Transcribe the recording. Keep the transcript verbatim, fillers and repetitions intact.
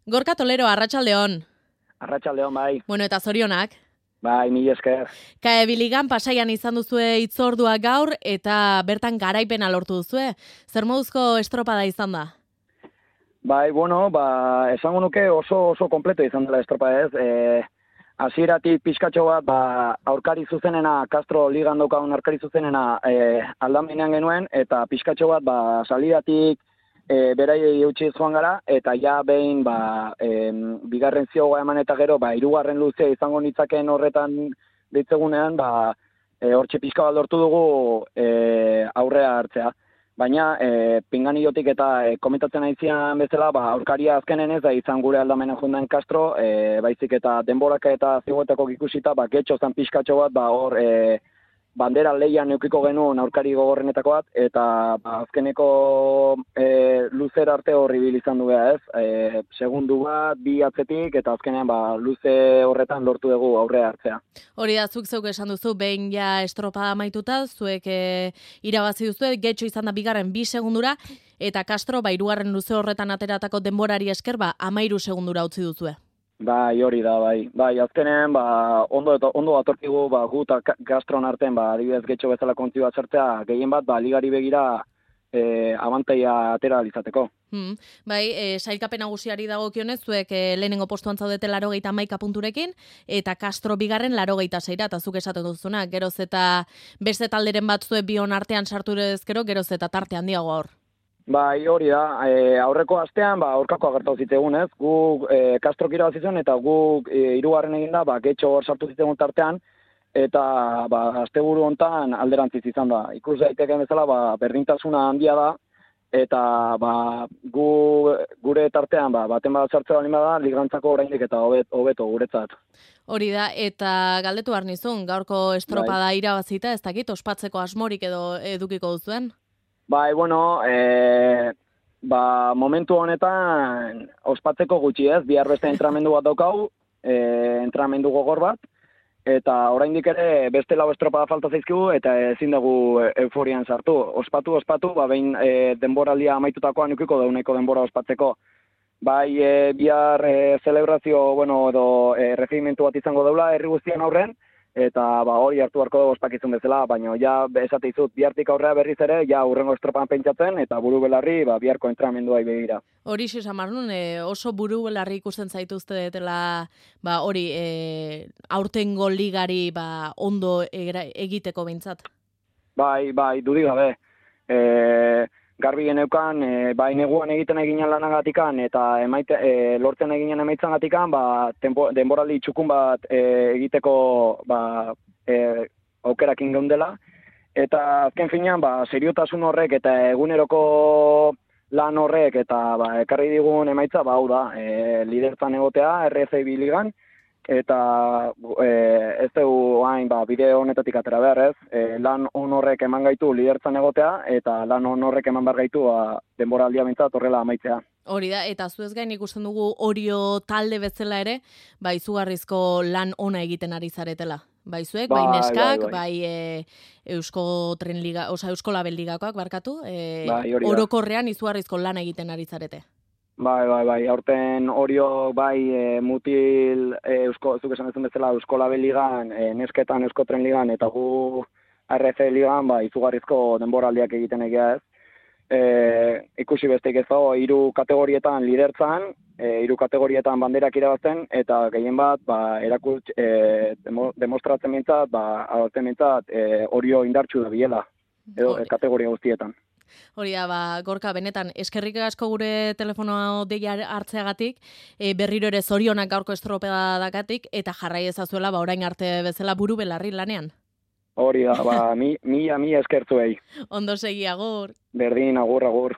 Gorka Tolero, arratsaldeon. Arratsaldeon, bai. Bueno, eta zorionak. Bai, mila esker. K E Biligan Pasaian izan duzue hitzordua gaur eta bertan garaipena lortu duzue. Zer moduzko estropada izan da? Bai, bueno, ba, esango nuke oso oso kompleto izan dela estropada ez. E, hasieratik pixkatxo bat, ba, aurkari zuzenena, Castro ligan daukagun aurkari zuzenena e, aldamenean genuen, eta pixkatxo bat, ba, salidatik e, beraiei eutxiz joan gara, eta ja behin, ba, e, bigarren ziogoa eman eta gero, ba, hirugarren luzea izango nitzaken horretan ditzegunean, ba, e, hortxe pixka bat lortu dugu e, aurrea hartzea. Baina, e, pinganiotik eta e, komentatzen aizian bezala, ba, aurkaria azkenen ez da izan gure aldamena jundan Castro, e, baizik eta denboraka eta zigoetako ikusita, ba, getxo zan pixkatxo bat, ba, hor, e, bandera leian neukiko genuen aurkari gogorrenetako bat, eta ba, azkeneko e, luzer arte horri bil izan du beha ez, e, segundu bat, bi atzetik, eta azkenean ba, luze horretan lortu dugu aurrea hartzea. Hori da, zuk zeuk esan duzu, behin ja estropada amaituta, zuek e, irabazi duzu, getxo izan da bigarren bi segundura, eta Castro, ba, hirugarren luze horretan ateratako denborari esker, ba, amairu segundura utzi duzue. Bai, hori da, bai. Bai, azkenean, ba, ondo, ondo atorkigu, ba, gu eta Castron artean, ba, adibidez getxo bezala kontzio bat zertzea, gehien bat, ba, ligari begira e, abantaia atera alizateko. Hmm. Bai, e, sailkapen nagusiari dagokionez, zuek e, lehenengo postuan zaudete larogeita hamaika punturekin, eta Castro bigarren larogeita seira, eta zuk esaten duzuna, geroz eta beste talderen bat zuek bion artean sartu ezkero, geroz eta tarte handiago hor. Bai, hori da, e, aurreko astean, ba, aurkako agertau zitegun, ez? Gu e, Castro kira bazizuen, eta gu e, hirugarren eginda, ba, getxo hor sartu zitegun tartean, eta ba, asteburu hontan alderantziz izan da. Ikus daiteken bezala, ba, berdintasuna handia da, eta ba, gu, gure tartean, ba, baten bat sartzea bali bada, ligantzako oraindik eta hobet, hobeto guretzat. Hori da, eta galdetu behar nizun, gaurko estropada bai. Irabazita, ez dakit, ospatzeko asmorik edo edukiko duzuen? Bai, bueno, e, ba, momentu honetan ospatzeko gutxi ez, bihar beste entramendu bat daukau, e, entramendu gogor bat, eta oraindik ere beste lau estropada falta zaizkigu, eta ezin dugu euforian sartu. Ospatu, ospatu, ba, behin e, denboraldia amaitutakoan ukiko dauneko denbora ospatzeko. Bai, e, bihar e, celebrazio, bueno, edo e, regimentu bat izango daula herri guztian aurren, eta ba, hori hartu harko dugu ospakizun bezala, baina ja esate izut bihartik aurrea berriz ere, ja urrengo estropan pentsatzen, eta buru belarri ba, biharko entramendua begira. Hori esan marnun, e, oso buru belarri ikusten zaituzte detela, ba, hori e, aurtengo ligari ba, ondo egiteko behintzat. Bai, bai, dudik gabe. E, garbi geneukan, e, bai neguan egiten eginen lanagatikan, eta emaite, e, lortzen eginen emaitzan gatikan, ba, tempo, denboraldi txukun bat e, egiteko ba, e, aukerakin geundela. Eta azken finean, ba, seriotasun horrek eta eguneroko lan horrek eta ba, ekarri digun emaitza, ba, hau da, e, liderzan egotea, R F B ligan, eta e, ez dugu hain ba, bideo honetatik atera behar ez, e, lan on horrek eman gaitu lidertzan egotea, eta lan on horrek eman behar gaitu ba, denboraldia bintzat horrela amaitzea. Hori da, eta zuez gain ikusten dugu Orio talde bezala ere, ba, izugarrizko lan ona egiten ari zaretela. Bai zuek, bai, bai neskak, bai, bai. bai e, Eusko Tren Liga, oza, Eusko Label Ligakoak barkatu, e, bai, orokorrean izugarrizko lan egiten ari zarete. Bai, bai, bai, aurten Orio, bai, e, mutil, e, Eusko, zuk esan ezun bezala, Eusko Label Ligan, e, nesketan Eusko Tren Ligan, eta gu R F Ligan, bai, izugarrizko denboraldiak egiten egia ez. E, ikusi besteik ez dago, hiru kategorietan lidertzan, e, hiru kategorietan banderak irabazten, eta gehien bat, ba, erakut, e, demo, demostratzen mintzat, ba, adotzen mintzat, e, Orio indartxu da biela, edo, e, kategoria guztietan. Hori da, ba, Gorka, benetan, eskerrik asko gure telefonoa deia hartzeagatik, e, berriro ere zorionak gaurko estropada dakatik, eta jarrai ezazuela, ba, orain arte bezala buru belarri lanean. Hori da, ba, mi, mi, mi eskertzuei. Ondo segi, agur. Berdin, agur, agur.